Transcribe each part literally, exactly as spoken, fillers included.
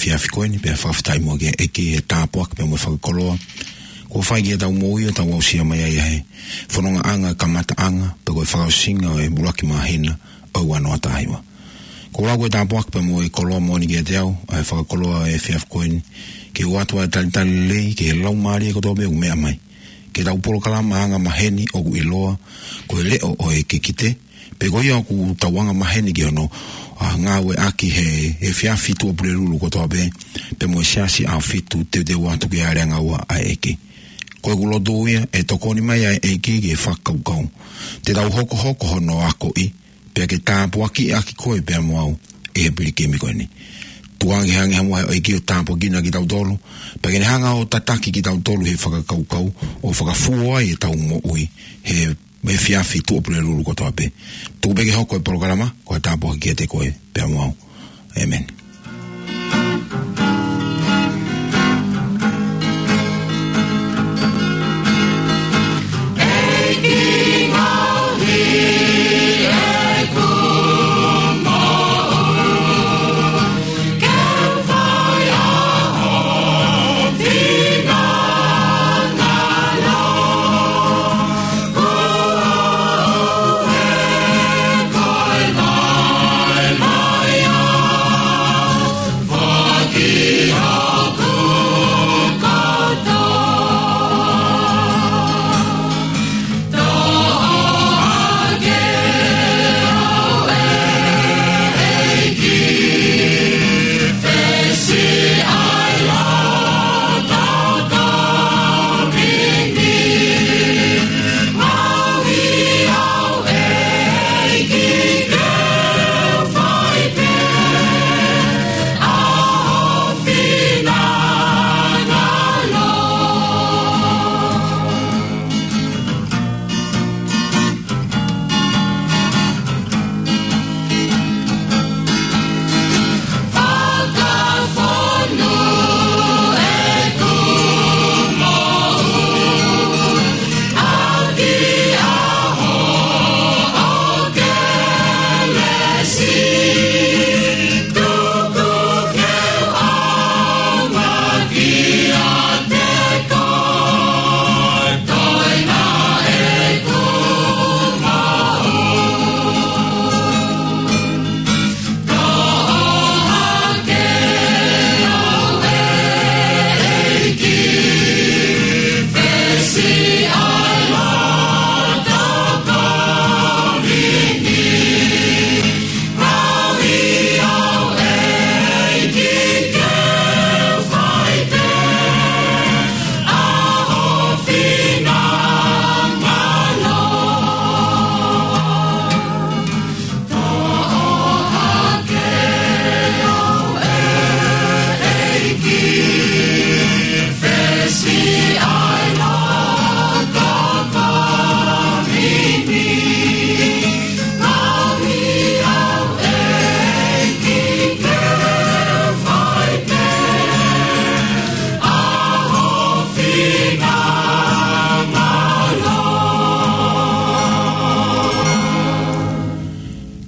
efiafi ko eni, pea fakafetaʻi muʻa ki he ʻEiki he tāpuaki pea mo e fakakoloa kuo fai ki heʻetau moʻui ʻo tau aʻusia mai ai ʻa e fonongaʻanga kamataʻanga, pe ko e fakaʻosinga ʻo e ʻuluaki māhina ʻo e ua noa taha hiva. Ko e lau ko e tāpuaki pea mo e koloa moʻoni kiate au, ʻa e fakakoloa ʻo e efiafi ko eni, ke u ʻoatu ʻa e talitali lelei ki he laumālie kotoa pē ʻoku meʻa mai. Ke tau polokalama anga maheni ʻoku ʻiloa ko e leʻo ʻo e kikite, pe ko ia ʻoku tau anga maheni ki hono, ʻa, ngāueʻaki he efiafi tuʻa pulelulu kotoa pē, pea mo e Siasi ʻAhofitu teuteu atu ki he aleangaua ʻa e ʻEiki. Ko ʻeku lotu ia ʻe tokoni mai ʻa e ʻEiki ki he fakakaukau te tau hokohoko hono akoʻi, pea ke tāpuakiʻaki koe pea mo au ʻi he pilikimi ko eni. Tuku ange ha angahala ʻa e ʻEiki ʻo tāpuakiʻi kitautolu, pea ke ne hanga ʻo tataki kitautolu he fakakaukau ʻo fakafuo ai ʻetau moʻui he efiafi tuʻa pulelulu kotoa pē. Tuku pē ke hoko e polokalama ko e tāpuaki kiate koe pea mo au. ʻĒmeni.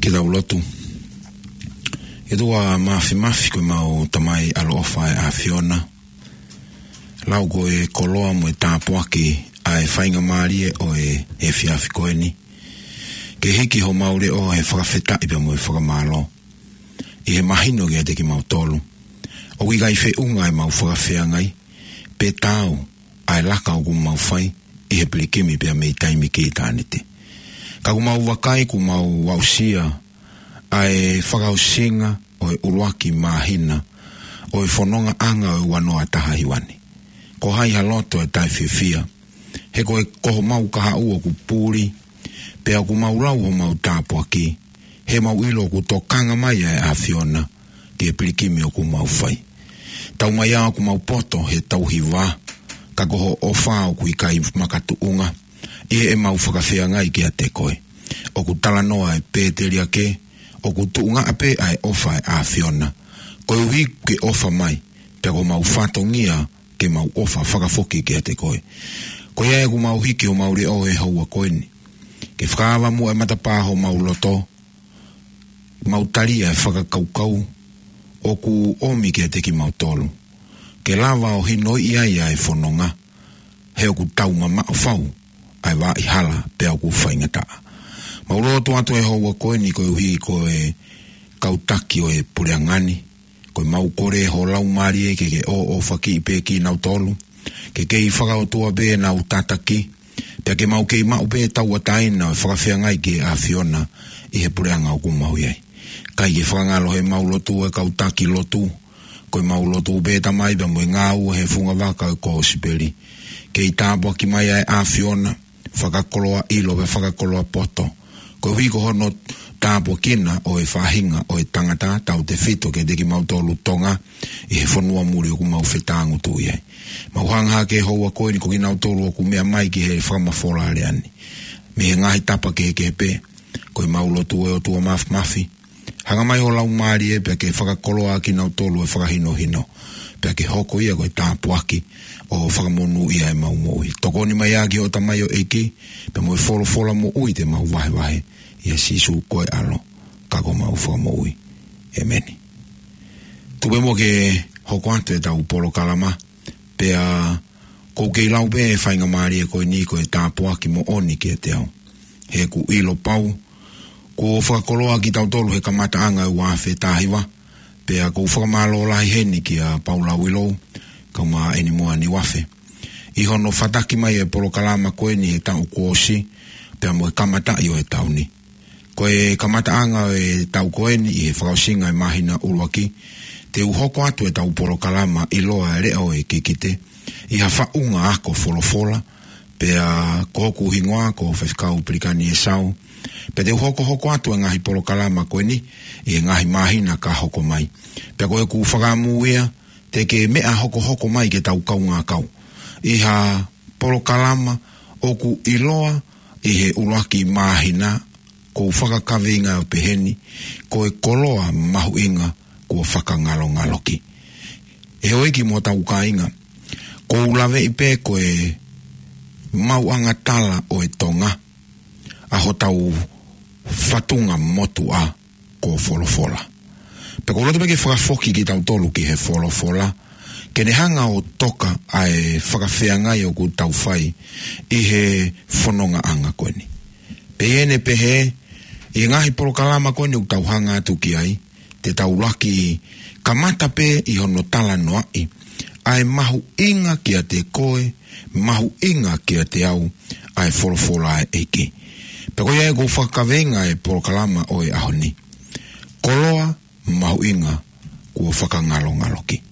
Ke tau lotu. ʻE ʻOtua Māfimafi, ko ʻemau Tamai ʻaloʻofa ʻa e ʻAfiona, lau ko e koloa mo e tāpuaki ʻa e faingamālie ʻo e efiafi ko eni ke hiki homau leʻo he fakafetaʻi pea mo e fakamālō ʻi he mahino kiate kimautolu ʻoku ʻikai feʻunga ʻemau fakafeangai pe taau ʻa e laka ʻoku mau fai ʻi he pilikimi pea mei taimi ki ʻitāniti. Ka ʻoku mau vakai kuo mau aʻusia ʻa e fakaʻosinga ʻo e ʻuluaki māhina ʻo e fonongaʻanga ʻo e ua noa taha hiva ni. Ko hai ha loto ʻe taʻefiefia, he ko e, ko homau kahaʻu ʻoku puli, pea ʻoku mau lau homau tāpuaki, he mau ʻilo ʻoku tokanga mai ʻa e ʻAfiona ki he pilikimi ʻoku mau fai. Taumaiā ʻoku mau poto he tauhi vā, ka ko hoʻo ʻofa ʻoku ʻikai makatuʻunga ʻi heʻemau fakafeangai kiate koe. ʻOku talanoa ʻa e pēteliake, ʻoku tuʻunga pē ʻa e ʻofa ʻa e ʻAfiona, koeʻuhi ke ʻofa mai, pea ko homau fatongia ke mau ʻofa fakafoki kiate koe. Ko ia ʻoku mau hiki homau leʻo he houa ko eni ke fakaava muʻa e matapā homau loto, mau tali ʻa e fakakaukau ʻoku ʻomi kiate kimautolu, ke lava ʻo hinoʻi ai ʻa e fononga, he ʻoku tau mamaʻo fau ʻa e vaʻa hala pea ʻoku faingataʻa. Mau lotu atu ʻi he houa ko eni koeʻuhi ko e kau taki ʻo e puleʻanga ni, ko ʻemau kole ho Laumālie ke ke ʻoʻofakiʻi pē kinautolu, ke kei fakaʻotua pē ʻenau tataki, pea ke mau kei maʻu pē tauʻatāina ʻo e fakafeangai ki he ʻAfiona ʻi he puleʻanga ʻoku mau ʻi ai. Kae ke fakangalo heʻemau lotu ʻa e kau taki lotu, ko ʻemau lotu pē Tamai pea mo e ngāue he fungavaka ʻo e kosipeli. Kei tāpuaki mai ʻa e ʻAfiona, fakakoloa ʻilo pea fakakoloa poto, koeʻuhi ko hono tāpuekina ʻo e faʻahinga ʻo e tangata tautefito kiate kimautolu Tonga ʻi he fonua muli ʻoku mau fetāngutuʻi ai. Mau hanga hake he houa ko eni ko kinautolu ʻoku meʻa mai ki he fakamafola ʻa e lea ni mei he ngaahi tapa kehekehe pē, ko ʻemau lotu ʻe ʻOtua Māfimafi, hanga mai ho Laumālie pea ke fakakoloa kinautolu ʻe fakahinohino, pea ke hoko ia ko e tāpuaki ʻo fakamonūʻia ʻemau moʻui. Tokoni mai ā ki hoʻo tamaioʻeiki, pea mo e folofola moʻui te mau vahevahe, ʻia Sīsū ko e ʻAlo, ka ko homau Fakamoʻui. ʻEmeni. Tuku pē muʻa ke hoko atu ʻetau polokalama, pea ʻoku ou kei lau pē ʻa e faingamālie ko eni ko e tāpuaki moʻoni kiate au. He ʻoku ou ʻilo pau, kuo fakakoloa kitautolu he kamataʻanga ʻo e ua afe taha hiva, pea ʻoku ou fakamālō lahi heni kia Paula Uilou, kae ʻumaʻā ʻEnimoa Niuafe, ʻi hono fataki mai ʻa e polokalama ko eni he taʻu kuo ʻosi, pea mo e kamataʻi ʻo e taʻu ni. Ko e kamataʻanga ʻo e taʻu ko eni ʻi he fakaʻosinga ʻo e māhina ʻuluaki, te u hoko atu ʻetau polokalama ʻiloa ʻa e Leʻo ʻo e Kikite, ʻi ha faʻunga ako folofola, pea ko hoku hingoa ko Faifekau Pelikani ʻEsau, pea te u hokohoko atu ʻa e ngaahi polokalama ko eni ʻi he ngaahi māhina ka hoko mai. Pea ko ʻeku fakaʻamu ia, te ke meʻa hokohoko mai ke tau kaungā kau ʻi ha polokalama ʻoku ʻiloa ʻi he ʻuluaki māhina, ʻoku ou fakakaveinga ʻo peheni, ko e koloa mahuʻinga kuo fakangalongaloki. ʻE houʻeiki mo hotau kāinga, ʻoku ou laveʻi pē ko e maʻuʻanga tala ʻo e Tonga ʻa hotau fatunga motuʻa ko folofola. Pea ʻoku ou loto pē ke fakafoki kitautolu ki he folofola, ke ne hanga ʻo toka ʻa e fakafeangai ʻoku tau fai ʻi he fonongaʻanga ko eni. Pea ʻi heʻene pehē, ʻi he ngaahi polokalama ko eni ʻoku tau hanga atu ki ai, te tau ʻuluaki kamata pē ʻi hono talanoaʻi ʻa e mahuʻinga kiate koe, mahuʻinga kiate au, ʻa e folofola ʻa e ʻEiki. Pea ko ia ʻoku ou fakakaveinga ʻa e polokalama ʻo e ʻaho ni, koloa mahuʻinga kuo fakangalongaloki.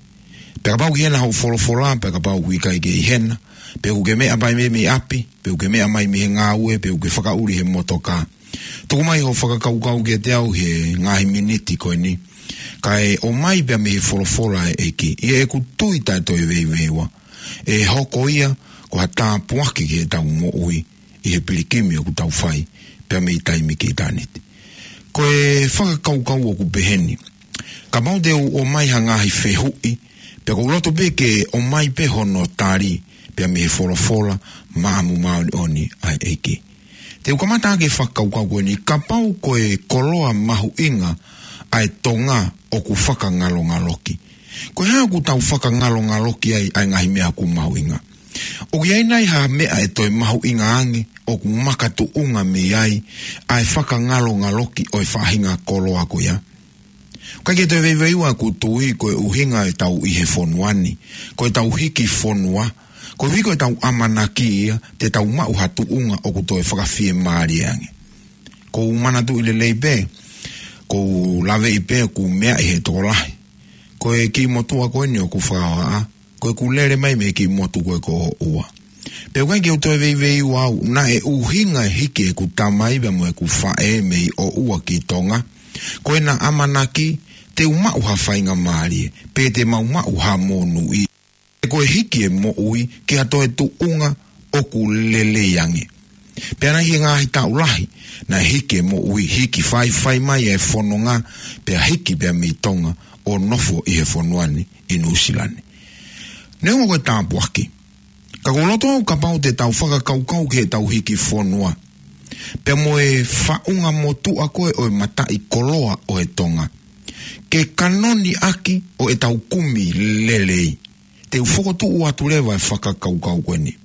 Pea kapau ʻoku ʻi hena hoʻo folofola, pea kapau ʻoku ʻikai ke ʻi hena, pe ʻoku ke meʻa mai mei, mei ʻapi, pe ʻoku ke meʻa mai mei he ngāue, pe ʻoku ke fakaʻuli he motoka, tuku mai hoʻo fakakaukau kiate au he ngaahi miniti ko eni, kae ʻomai pea mei he folofola ʻa e ʻEiki, ʻi heʻeku tui taʻe toe veiveiua, ʻe hoko ia ko ha tāpuaki ki heʻetau moʻui ʻi he pilikimi ʻoku tau fai pea mei taimi ki ʻitāniti. Ko e fakakaukau ʻoku peheni, kapau te u ʻomai ha ngaahi fehuʻi, pea ʻoku ou loto pē ke ʻomai pē hono tali pea mei he folofola maʻamu māʻoniʻoni ʻa e ʻEiki. Te u kamata ʻaki e fakakaukau ko eni, kapau ko e koloa mahuʻinga ʻa e Tonga ʻoku fakangalongaloki, ko e hā ʻoku tau fakangalongaloki ai ʻa e ngaahi meʻa ʻoku mahuʻinga? ʻOku ʻi ai nai ha meʻa ʻe toe mahuʻinga ange ʻoku makatuʻunga mei ai ʻa e fakangalongaloki ʻo e faʻahinga koloa ko ia? ʻIkai ke toe veiveiua ʻeku tui ko e ʻuhinga ʻetau ʻi he fonua ni, ko ʻetau hiki fonua, koeʻuhi ko ʻetau ʻamanaki ia te tau maʻu ha tuʻunga ʻoku toe fakafiemālie ange. ʻOku ou manatuʻi lelei pē, ʻoku ou laveʻi pē ʻoku ou meaʻi he tokolahi, ko e kiʻi motuʻa ko eni ʻoku fakahohaʻa, ko ʻeku lele mai mei he kiʻi motu ko ē ko ʻOʻua. Pea ʻoku ʻikai ke u toe veiveiua au, naʻe ʻuhinga e hiki ʻeku tamai pea mo ʻeku faʻē mei ʻOʻua ki Tonga, ko ʻena ʻamanaki te u maʻu ha faingamālie, pe te mau maʻu ha monūʻia. Ko e hiki e moʻui ki ha toe tuʻunga ʻoku lelei ange. Pea naʻe ʻi he ngaahi taʻu lahi, naʻe hiki e moʻui, hiki faifai mai e fononga, pea hiki pea mei Tonga ʻo nofo ʻi he fonua ni ʻi Nuʻusila ni. Neongo ko e tāpuaki, ka ʻoku ou loto au kapau te tau fakakaukau ki heʻetau hiki fonua, pea mo e faʻunga motuʻa ko ē ʻo e mataʻikoloa ʻo e Tonga, ke kanoni ʻaki ʻo ʻetau kumi lelei. Te u fokotuʻu atu leva e fakakaukau ko eni.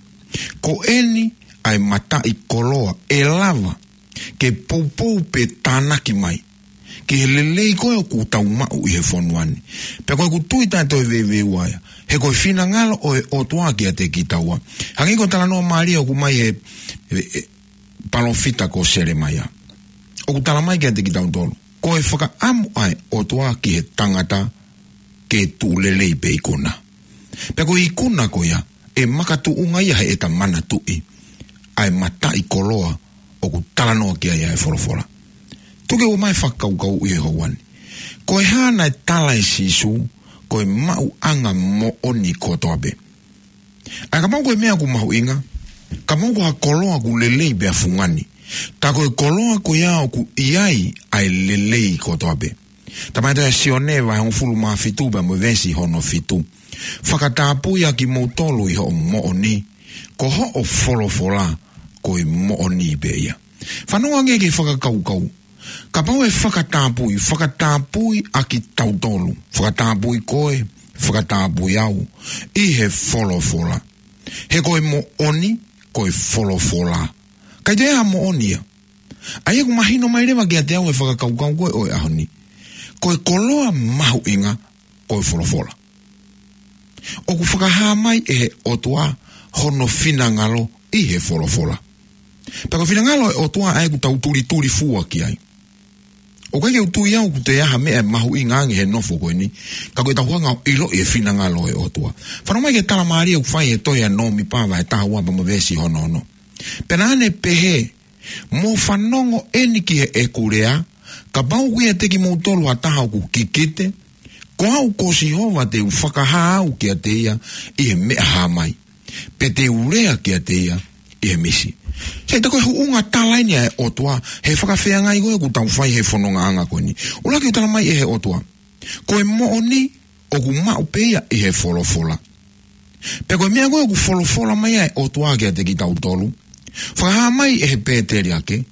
Ko eni ʻa e mataʻikoloa ʻe lava ke poupou pe tānaki mai ki he lelei ko ē ʻoku tau maʻu ʻi he fonua ni. Pea ko ʻeku tui taʻe toe veiveiua ia, he ko e finangalo ʻo e ʻOtua kiate kitaua. Hangē ko e talanoa mālie ʻoku ʻomai he, he, he palōfita ko Selemaia. ʻOku tala mai kiate kitautolu, ko e fakaʻamu ʻa e ʻOtua ki he tangata ke tuʻu lelei pe ikuna. Pea ko e ikuna ko ia, ʻe makatuʻunga ia heʻeta manatuʻi ʻa e mataʻikoloa ʻoku talanoa ki ai ʻa e folofola. Tuku ke u ʻomai e fakakaukau ʻi he houa ni. Ko e hā naʻe tala ʻe Sīsū ko e maʻuʻanga moʻoni kotoa pē? ʻA ia kapau ko e meʻa ʻoku mahuʻinga, kapau ko ha koloa ʻoku lelei pea fungani, tā ko e koloa ko ia ʻoku ʻi ai ʻa e lelei kotoa pē. Tala mai ʻe Sione vahe hongofulu mā fitu pea mo e veesi hono fitu. Fakatapui ʻa kimoutolu ʻi hoʻo moʻoni, ko hoʻo folofola ko e moʻoni pē ia. Fanongo angē ki he fakakaukau. Kapau ʻe fakatapui, fakatapui ʻa kitautolu, fakatapui koe, fakatapui au, ʻi he folofola. He ko e moʻoni, ko e folofola. ʻIkai toe ʻi ai ha moʻoni ia. ʻA ia ʻoku mahino mai leva kiate au e fakakaukau ko ē ʻo e ʻaho ni. Ko e koloa mahuʻinga, ko e folofola. ʻOku fakahā mai ʻe he ʻOtua hono finangalo ʻi he folofola. Pea ko e finangalo ʻo e ʻOtua ʻa ia ʻoku tau tulituli fua ki ai. ʻOku ʻikai ke u tui au ʻoku toe ʻi ai ha meʻa ʻe mahuʻinga ange he nofo ko eni, ka ko ʻetau hanga ʻo ʻiloʻi e finangalo ʻo e ʻOtua. Fanongo mai ki he tala mālie ʻoku fai he tohi ʻa Nōmipa vahe taha ua pea mo e veesi hono ono. Pea naʻa ne pehē, Mou fanongo eni ki heʻeku lea, kapau ʻoku ʻiate kimoutolu ha taha ʻoku kikite, ko au ko Sihova te u fakahā au kiate ia ʻi he meʻa hā mai, pea te u lea kiate ia ʻi he misi. Sai, tā ko e huʻunga tala eni ʻa e ʻOtua he fakafeangai ko ē ʻoku tau fai he fonongaʻanga ko eni. ʻUluaki ʻoku tala mai ʻe he ʻOtua, ko e moʻoni ʻoku maʻu pē ia ʻi he folofola. Pea ko e meʻa ko ē ʻoku folofola mai ʻa e ʻOtua kiate kitautolu, fakahā mai ʻe he pēteliake,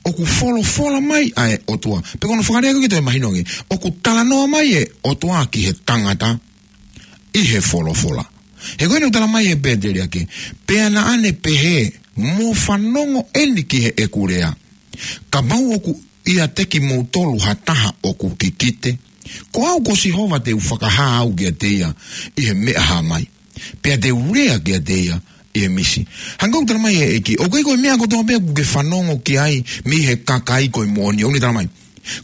ʻoku folofola mai ʻa e ʻOtua. Pea ko hono fakalea ko ē ke toe mahino ange, ʻoku talanoa mai e ʻOtua ki he tangata ʻi he folofola. He ko eni ʻoku tala mai ʻe he pēteliake, pea naʻa ne pehē, mou fanongo eni ki heʻeku lea. Kapau ʻoku ʻiate kimoutolu ha taha ʻoku kikite, ko au ko Sihova te u fakahā au kiate ia ʻi he meʻa hā mai, pea te u lea kiate ia ʻi he misi. Hangē ko ʻeku tala mai ʻe he ʻEiki, ʻoku ʻikai ko e meʻa kotoa pē ʻoku ke fanongo ki ai mei he kakai ko e moʻoni, ʻoku ne tala mai.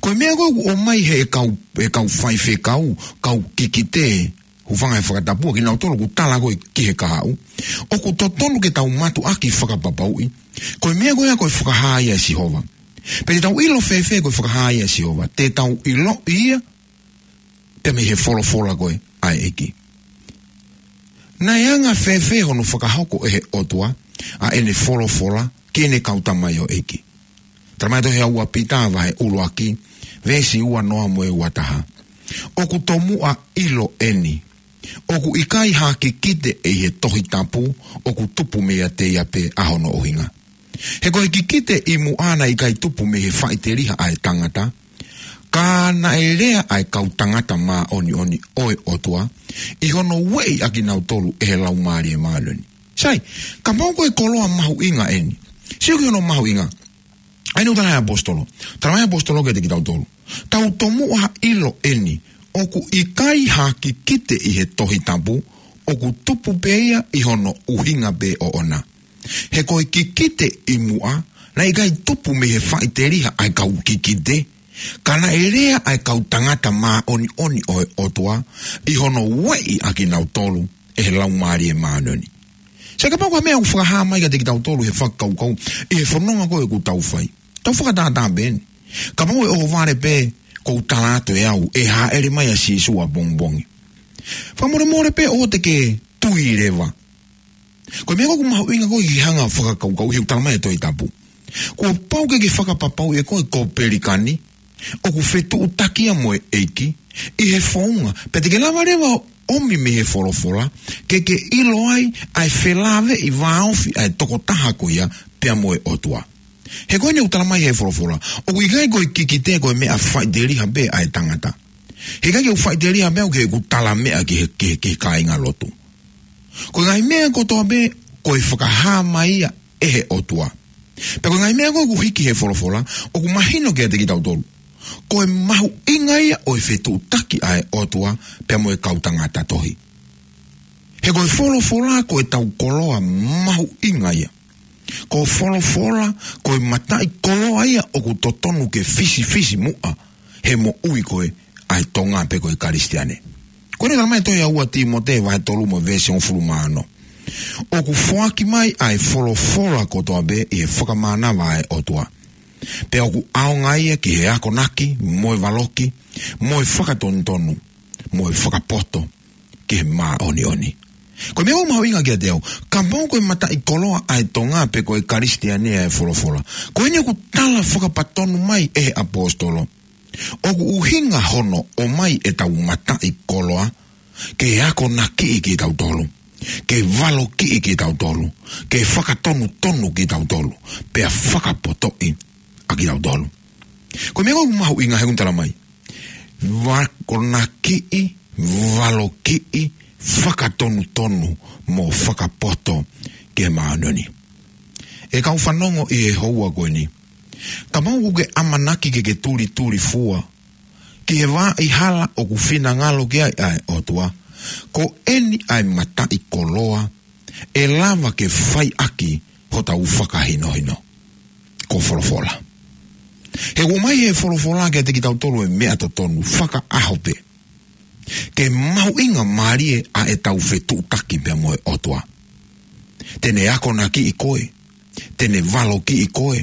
Ko e meʻa ko ē ʻoku ʻomai ʻe he kau, ʻe he kau faifekau, kau kikite, hūfanga he fakatapu, ʻa kinautolu ʻoku tala ko ē ki he kahaʻu. ʻOku totonu ke tau mātuʻaki fakapapauʻi ko e meʻa ko ia ko e fakahā ia ʻe Sihova. Pea te tau ʻilo fēfē ko e fakahā ia ʻe Sihova? Te tau ʻiloʻi ia pea mei he folofola ko ē ʻa e ʻEiki. Naʻe anga fēfē hono fakahoko ʻe he ʻOtua ʻa ʻene folofola ki heʻene kau tamaioʻeiki? Tala mai tohi ʻa ua Pita vahe ʻuluaki, veesi ua noa mo e ua taha. ʻOku tomuʻa ʻilo eni, ʻoku ʻikai ha kikite ʻi he Tohi Tapu ʻoku tupu meiate ia pē ʻa hono ʻuhinga. He ko e kikite ʻi muʻa naʻe ʻikai tupu mei he faʻiteliha ʻa e tangata, ka naʻe lea ʻa e kau tangata māʻoniʻoni ʻo e ʻOtua, ʻi hono ueʻi ʻa kinautolu ʻe he Laumālie Māʻoniʻoni. Sai, kapau ko e koloa mahuʻinga eni, sio ki hono mahuʻinga. ʻA ia naʻe tala ʻe he ʻaposetolo. Tala mai ʻe he ʻaposetolo kiate kitautolu, tau tomuʻa ʻilo eni, ʻoku ʻikai ha kikite ʻi he Tohi Tapu ʻoku tupu pē ia ʻi hono ʻuhinga pē ʻoʻona. He ko e kikite ʻi muʻa naʻe ʻikai tupu mei he faʻiteliha ʻa e kau kikite, ka naʻe lea ʻa e kau tangata māʻoniʻoni ʻo e ʻOtua, ʻi hono ueʻi ʻa kinautolu ʻe he Laumālie Māʻoniʻoni. Sai, kapau ko e meʻa ʻoku fakahā mai kiate kitautolu he fakakaukau ʻi he fononga ko ē ʻoku tau fai, tau fakatātā pē eni. Kapau ʻe ʻohovale pē ʻoku ou tala atu ʻe au ʻe hāʻele mai ʻa Sīsū ʻapongipongi, fakamolemole pē ʻoua te ke tui leva. Ko e meʻa ko ē ʻoku mahuʻinga ko ē ke hanga ʻo fakakaukauʻi he ʻoku tala mai ʻe he Tohi Tapu, kuo pau ke ke fakapapauʻi ʻe koe ko Pelikani ʻoku fetuʻutaki ia mo e ʻEiki ʻi he founga, pea te ke lava leva ʻo ʻomi mei he folofola ke ke ʻilo ai ʻa e felāveʻi vāofi ʻa e tokotaha ko ia pea mo e ʻOtua. He ko eni ʻoku tala mai ʻe he folofola, ʻoku ʻikai ko e kikite ko e meʻa faʻiteliha pē ʻa e tangata. He ʻikai ke u faʻiteliha meʻa ke u talameʻa ki he, ki he, ki he kāingalotu. Ko e ngaahi meʻa kotoa pē, ko e fakahā mai ia ʻe he ʻOtua. Pea ko e ngaahi meʻa ko ē ʻoku hiki he folofola, ʻoku mahino kiate kitautolu ko e mahuʻinga ia ʻo e fetuʻutaki ʻa e ʻOtua pea mo e kau tangata tohi. He ko e folofola ko ʻetau koloa mahuʻinga ia. Ko e folofola ko e mataʻikoloa ia ʻoku totonu ke fisifisimuʻa he moʻui ko ē ʻa e Tonga pe ko e Kalisitiane. Ko ʻene talamai ʻe he tohi ʻa ua Tīmote vahe tolu mo e veesi hongofulu mā ono, ʻoku foaki mai ʻa e folofola kotoa pē ʻi he fakamānava ʻa e ʻOtua. Pea ʻoku ʻaonga ia ki he akonaki, mo e valoki, mo e fakatonutonu, mo e fakapoto ki he māʻoniʻoni. Ko e meʻa ʻoku mahuʻinga kiate au, kapau ko e mataʻikoloa ʻa e Tonga pe ko e Kalisitiane ʻa e folofola, ko eni ʻoku tala fakapatonu mai ʻe he ʻaposetolo, ʻoku ʻuhinga hono ʻomai ʻetau mataʻikoloa ke akonakiʻi kitautolu, ke valokiʻi kitautolu, ke fakatonutonu kitautolu, pea fakapotoʻi ʻa kitautolu. Ko e meʻa ʻoku mahuʻinga he ʻoku talamai, akonakiʻi, valokiʻi, fakatonutonu, mo fakapoto ki he māʻoniʻoni. ʻE kau fanongo ʻi he houa ko eni, kapau ʻoku ke ʻamanaki ke ke tulituli fua ki he vaʻa hala ʻoku finangalo ki ai ʻa e ʻOtua, ko eni ʻa e mataʻikoloa ʻe lava ke fai ʻaki hotau fakahinohino. Ko e folofola. He ʻoku ʻomai ʻe he folofola kiate kitautolu e meʻa totonu fakaʻaho pē. Ke mahuʻingamālie ʻa ʻetau fetuʻutaki pea mo e ʻOtua. Te ne akonakiʻi koe, te ne valokiʻi koe,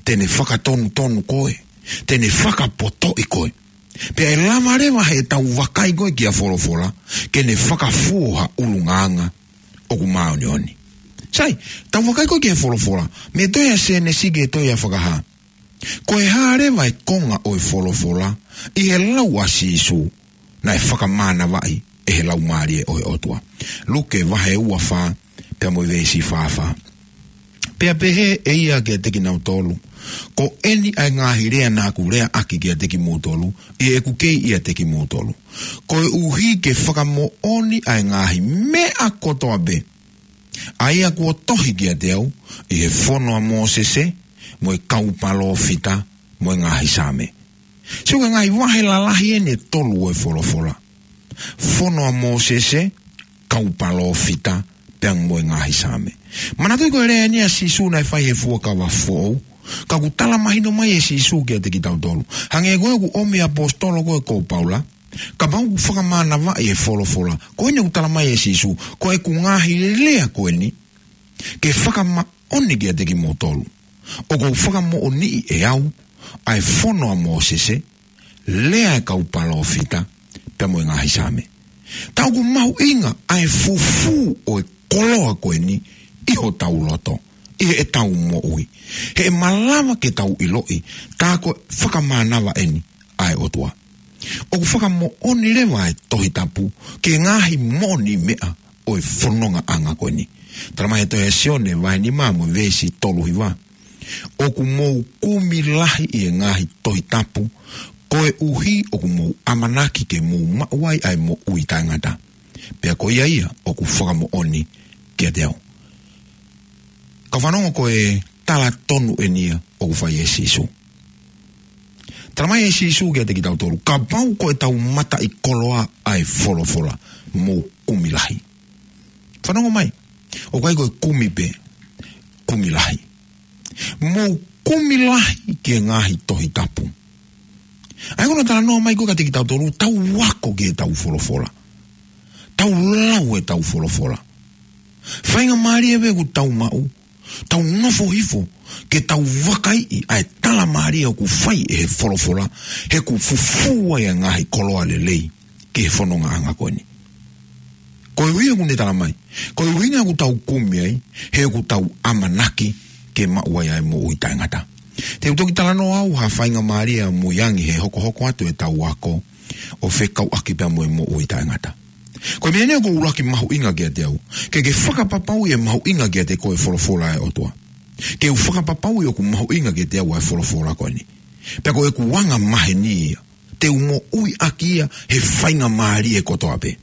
te ne fakatonutonu koe, te ne fakapotoʻi koe. Pea ʻe lava leva heʻetau vakai ko ē ki he folofola, ke ne fakafuo ha ʻulungaanga ʻoku māʻoniʻoni. Sai, tau vakai ko ē ki he folofola, mei he tohi ʻa Sēnesi ki he tohi ʻa Fakahā. Ko e hā leva e konga ʻo e folofola ʻi he lau ʻa Sīsū naʻe fakamānavaʻi ʻe he Laumālie ʻo e ʻOtua? Luke vahe ua fā, pea mo e veesi fā fā. Pea pehē ʻe ia kiate kinautolu, ko eni ʻa e ngaahi lea naʻa ku leaʻaki kiate kimoutolu ʻi heʻeku kei ʻiate kimoutolu, koeʻuhi ke fakamoʻoni ʻa e ngaahi meʻa kotoa pē ʻa ia kuo tohi kiate au ʻi he fono ʻa Mōsese, mo e kau palōfita, mo e ngaahi Saame. Sio ki he ngaahi vahe lalahi eni ʻe tolu ʻo e folofola. Fono ʻa Mōsese, kau palōfita, pea mo e ngaahi Saame. Manatuʻi ko e lea eni ʻa Sīsū naʻe fai he Fuakava Foʻou, ka ʻoku tala mahino mai ʻe Sīsū kiate kitautolu. Hangē ko ē ʻoku ʻomi ʻe he ʻaposetolo ko ē ko Paula, kapau ʻoku fakamānavaʻi e folofola, ko eni ʻoku talamai ʻe Sīsū, ko ʻeku ngaahi lea ko eni, ke fakamaʻoni kiate kimoutolu, ʻoku ou fakamoʻoniʻi ʻe au ʻa e fono ʻa Mōsese, lea e kau palōfita, pea mo e ngaahi Saame. Tā ʻoku mahuʻinga ʻa e fufū ʻo e koloa ko eni ʻi hotau loto, ʻi heʻetau moʻui. He ʻe malava ke tau ʻiloʻi, tā ko e fakamānava eni ʻa e ʻOtua. ʻOku fakamoʻoni leva e Tohi Tapu ki he ngaahi moʻoniʻi meʻa ʻo e fonongaʻanga ko eni. Talamai he tohi ʻa Sione vahe nima mo e veesi tolu hiva, ʻoku mou kumi lahi ʻi he ngaahi Tohi Tapu, koeʻuhi ʻoku mou ʻamanaki ke mou maʻu ai ʻa e moʻui taʻengata. Pea ko ia ia ʻoku fakamoʻoni kiate au. Kau fanongo, ko e tala tonu eni ia ʻoku fai ʻe Sīsū. Talamai ʻe Sīsū kiate kitautolu, kapau ko ʻetau mataʻikoloa ʻa e folofola, mou kumi lahi. Fanongo mai, ʻoku ʻikai ko e kumi pē, kumi lahi. Mou kumi lahi ki he ngaahi Tohi Tapu. ʻA ia ko hono talanoa mai ko ē kiate kitautolu, tau ako ki heʻetau folofola. Tau lau ʻetau folofola. Faingamālie pē ʻoku tau maʻu, tau nofo hifo ke tau vakaiʻi ʻa e tala mālie ʻoku fai ʻe he folofola, he ʻoku fufū ai ʻa e ngaahi koloa lelei ki he fonongaʻanga ko eni. Ko e ʻuhinga ʻoku ne talamai, ko e ʻuhinga ʻoku tau kumi ai, he ʻoku tau ʻamanaki ke maʻu ai ʻa e moʻui taʻengata. Te u toki talanoa au ha faingamālie ʻamui ange he hokohoko atu ʻetau ako ʻo fekauʻaki pea mo e moʻui taʻengata. Ko e meʻa eni ʻoku ʻuluaki mahuʻinga kiate au, ke ke fakapapauʻi ʻe mahuʻinga kiate koe e folofola ʻa e ʻOtua. Ke u fakapapauʻi ʻoku mahuʻinga kiate au ʻa e folofola ko eni. Pea ko ʻeku anga maheni ia, te u moʻui ʻaki ia he faingamālie kotoa pē.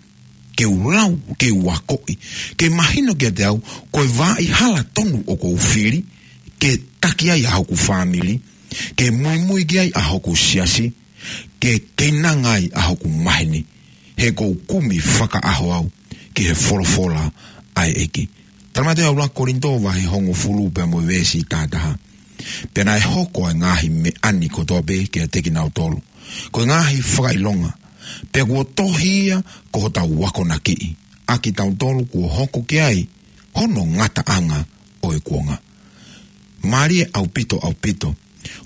Ke u lau, ke u akoʻi, ke mahino kiate au, ko e vaʻa hala tonu ʻoku ou fili, ke taki ai ʻa hoku fāmili, ke muimui ki ai ʻa hoku siasi, ke keinanga ai ʻa hoku maheni, he ʻoku ou kumi fakaʻaho au ki he folofola ʻa e ʻEiki. Tala mai ʻe he ʻuluaki Kolinitō vahe hongofulu pea mo e veesi taha taha. Pea naʻe hoko ʻa e ngaahi meʻa ni kotoa pē kiate kinautolu ko e ngaahi fakaʻilonga, pea kuo tohi ia ko hotau akonakiʻi ʻa kitautolu kuo hoko ki ai hono ngataʻanga ʻo e kuonga. Mālie ʻaupito, ʻaupito.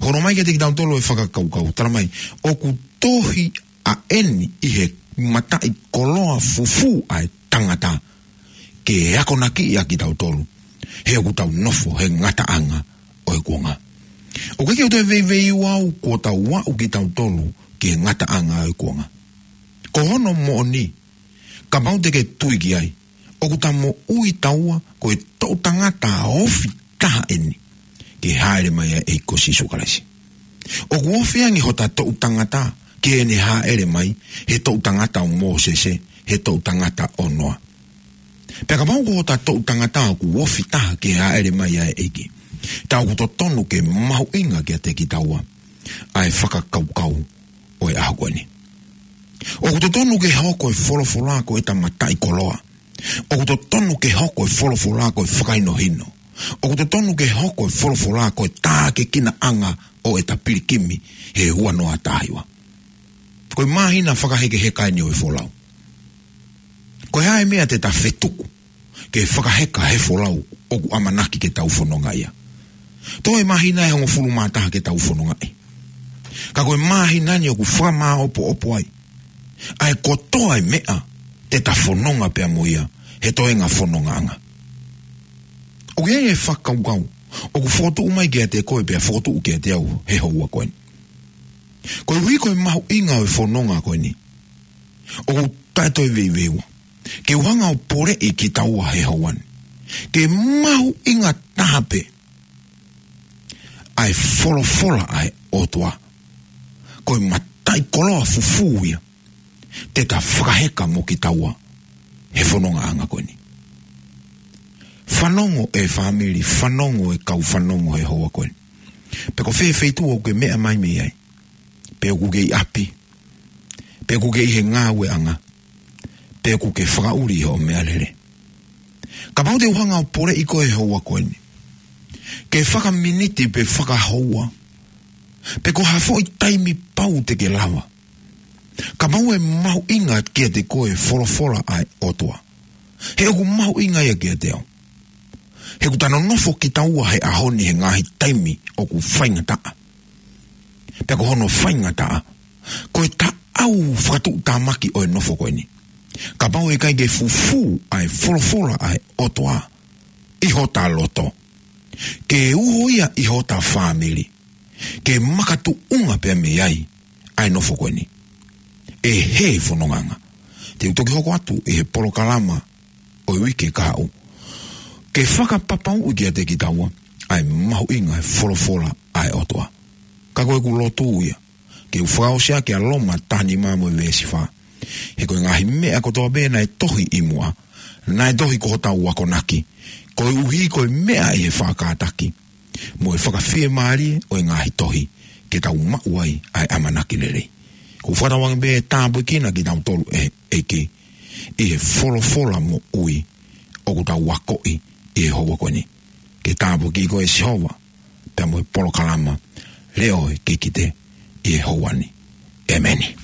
Holo mai kiate kitautolu e fakakaukau, tala mai, ʻoku tohi ʻa eni ʻi he mataʻikoloa fufū ʻa e tangata, ke akonakiʻi ʻa kitautolu, he ʻoku tau nofo he ngataʻanga ʻo e kuonga. ʻOku ʻikai ke u toe veiveiua au kuo tau aʻu kitautolu ki he ngataʻanga ʻo e kuonga. Ko hono moʻoni, kapau te ke tui ki ai, ʻoku ta moʻui taua ko e toʻu tangata ofi taha eni ke hāʻele mai ai ʻa e ʻEiki ko Sīsū Kalaisi. ʻOku ofi ange hota toʻu tangata ki heʻene hāʻele mai, he toʻu tangata ʻo Mōsese, he toʻu tangata ʻo Noa. Pea kapau ko hota toʻu tangata ʻoku ofi taha ki he hāʻele mai ʻa e ʻEiki, ta ʻoku totonu ke mahuʻinga kiate kitaua ʻa e fakakaukau ʻo e ʻaho ko eni. ʻOku totonu ke hoko e folofola ko e mataʻikoloa. ʻOku totonu ke hoko e folofola ko e fakahinohino. ʻOku totonu ke hoko e folofola ko e tākiekinaʻanga ʻo e pilikimi he ua noa taha hiva. Ko e māhina fakahekeheka eni ʻo e folau. Ko e hā e meʻa te ta fetuku ke fakaheka he folau ʻoku ʻamanaki ke tau fononga ia? Toe māhina ʻe hongofulu mā taha ke tau fonongaʻi. Ka ko e māhina ni ʻoku fakamāʻopoʻopo ai ʻa e kotoa e meʻa te ta fononga pea mo ia he toenga fonongaʻanga. ʻOku ʻi ai e fakakaukau ʻoku fokotuʻu mai kiate koe pea fokotuʻu kiate au he houa ko eni. Koeʻuhi ko e mahuʻinga ʻo e fononga ko eni, ʻoku taʻetoe veiveiua ke u hanga ʻo poleʻi kitaua he houa ni ke mahuʻinga taha pē ʻa e folofola ʻa e ʻOtua. Ko e mataʻikoloa fufū ia te ta fakaheka mo kitaua he fonongaʻanga ko eni. Fanongo e fāmili, fanongo e kau fanongo he houa ko eni. Pe ko fē feituʻu ʻoku ke meʻa mai mei ai, pe ʻoku ke ʻi ʻapi, pe ʻoku ke ʻi he ngāueʻanga, pe ʻoku ke fakaʻuli hoʻo meʻalele. Kapau te u hanga ʻo poleʻi koe he houa ko eni, ke fakaminiti pe fakahoua, pe ko ha foʻi taimi pau te ke lava, kapau ʻe mahuʻinga kiate koe e folofola ʻa e ʻOtua, he ʻoku mahuʻinga ia kiate au. He ʻoku ta nonofo kitaua he ʻaho ni he ngaahi taimi ʻoku faingataʻa. Pea ko hono faingataʻa, ko e taʻau fakatuʻutāmaki ʻo e nofo ko eni, kapau ʻe ʻikai ke fufū ʻa e folofola ʻa e ʻOtua ʻi hota loto, ke uho ia ʻi hota fāmili, ke makatuʻunga pea mei ai ʻa e nofo ko eni, ʻe hē fonongaʻanga. Te u toki hoko atu ʻi he polokalama ʻo e uike kahaʻu ke fakapapauʻi kiate kitaua ʻa e mahuʻinga e folofola ʻa e ʻOtua. Ka ko ʻeku lotu ia ke u fakaʻosi ʻaki ʻa Loma taha nima mo e veesi fā. He ko e ngaahi meʻa kotoa pē naʻe tohi ʻi muʻa, naʻe tohi ko hotau akonaki, koeʻuhi ko e meʻa ʻi he faʻa kātaki mo e fakafiemālie ʻo e ngaahi tohi, ke tau maʻu ai ʻa e ʻamanaki lelei. ʻOku ou fakatauange pē ʻe tāpuekina kitautolu ʻe he ʻEiki ʻi he folofola moʻui ʻoku tau akoʻi ʻi he houa ko eni. Ke tāpuekina koe ʻe Sihova pea mo e polokalama Leʻo ʻo e Kikite ʻi he houa ni. ʻEmeni.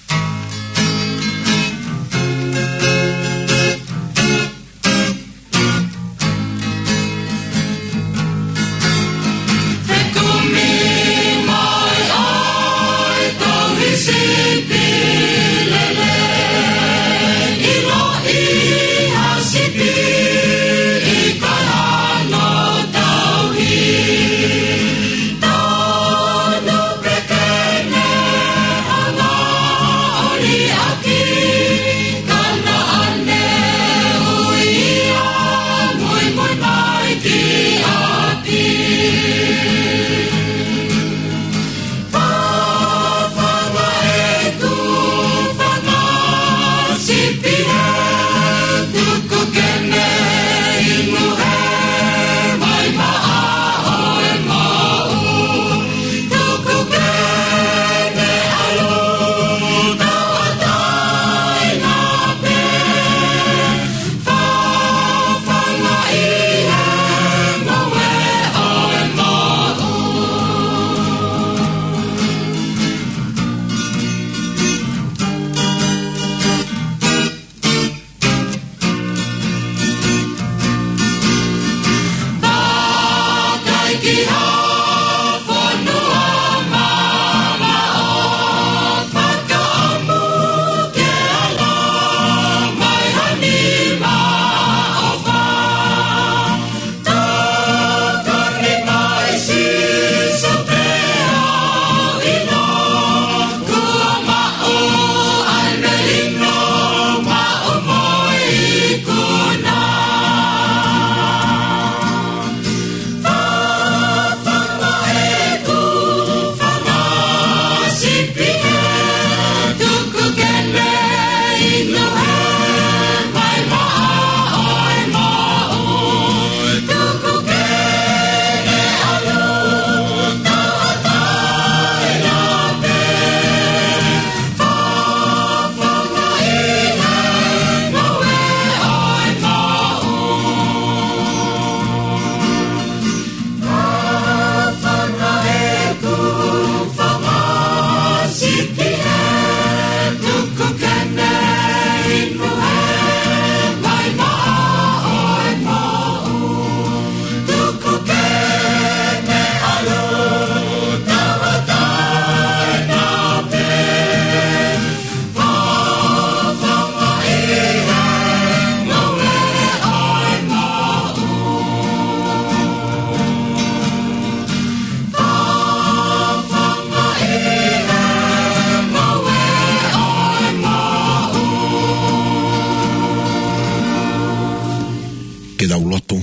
Ke tau lotu.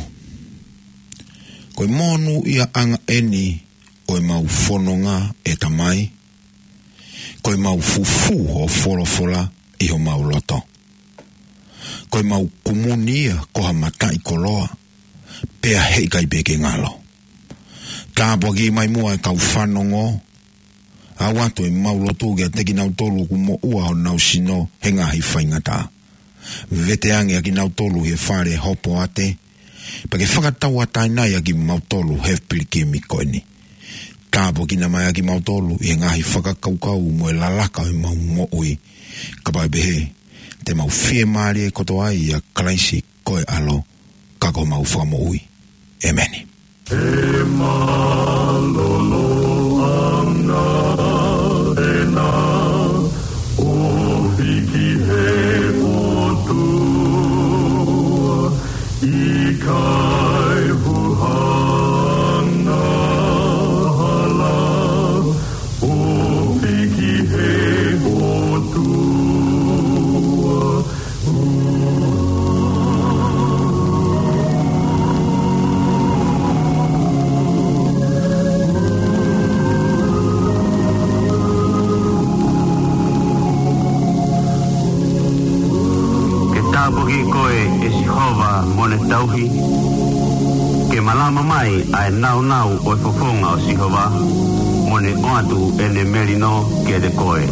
Ko e monūʻiaʻanga ʻeni ʻo ʻemau fononga, ʻe Tamai. Ko ʻemau fufū hoʻo folofola ʻi homau loto. Ko ʻemau kumuni ia ko ha mataʻikoloa, pea heʻikai pē ke ngalo. Tāpuakiʻi mai muʻa e kau fanongo, ʻoatu ʻemau lotu kiate kinautolu ʻoku moʻua honau sino he ngaahi faingataʻa. Vete ange ʻa kinautolu he fale hopoate, pea ke fakatauʻatāina ai ʻa kimautolu he pilikimi ko ʻeni. Tāpuakiʻi mai ʻa kimautolu ʻi he ngaahi fakakaukau mo e lalaka ʻo ʻemau moʻui. Kapau ʻe pehē, te mau fiemālie kotoa ai ʻia Kalaisi ko e ʻAlo, ka ko homau Fakamoʻui. ʻEmeni. He mālōlō ʻana ʻena ʻo hiki he ʻOtua, ʻikai huhana hala ʻo hiki he ʻOtua. Ke tāpuakiʻi koe, ʻe Sihova, mo ne tauhi. Ke malama mai ʻa e nāunau ʻo e fofonga ʻo Sihova, mo ne ʻoatu ʻene melino kiate koe.